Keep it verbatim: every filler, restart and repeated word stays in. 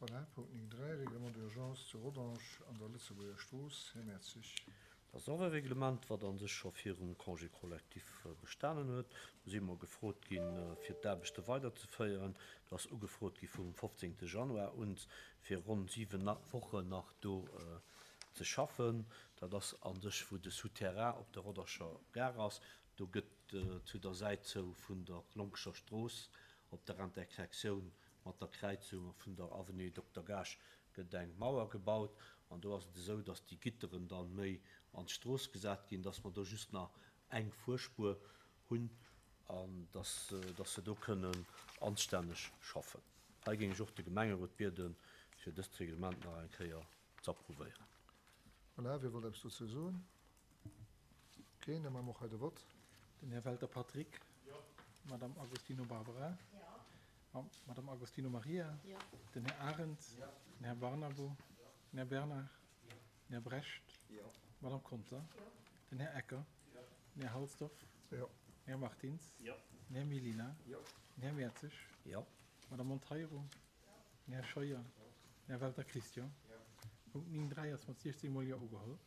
Voilà, Punkt néng dräi, Règlement d'urgence zu Rodange an der Lëtzebuerger Strooss. Här Mertzig. Dat ass och e Reglement, wat a sech scho virum Congé collectif bestanen huet. Do si mer gefrot ginn, fir d'Aarbechte weiderzeféieren. Do ass ugefrot gi vum fofzéngte Januar un, fir ronn siwen Wochen nach do ze schaffen. Dat ass a sech, wou de Souterrain op der Rodanger Gare ass. Do gëtt zu der Säit zou vun der Lonkescher Strooss op der Intersektioun mat der Kräizung vun der Avenue Dokter Gaasch gëtt eng Mauer gebaut. An do ass et esou, datt déi Gitteren da méi an d'Strooss gesat ginn, datt mer do just nach eng Fuerspuer hunn an datt, datt se do kënnen anstänneg schaffen. Hei géing ech och de Gemengerot bieden, fir dëst Reglement nach eng Kéier z'approuvéieren. Voilà, wie wollt eppes dozou soen? Keen, da maache mer och hei de Vott. Den Här Welter Patrick. Jo. D'Madame Agostino Barbara. Jo. D'Madame Agostino Maria. Jo. Den Här Arendt. Jo. Den Här Barnabo. Jo. Den Här Bernard. Jo. Den Här Brecht. Jo. D'Madame Conter. Jo. Den Här Ecker. Jo. Den Här Halsdorf. Jo. Den Här Martins. Jo. Den Här Mellina. Jo. Den Här Mertzig. Jo. D'Madame Monteiro. Den Här Scheuer. Den Här Welter Christian. Jo. Punkt néng dräi ass mat siechzéng mol Jo ugeholl.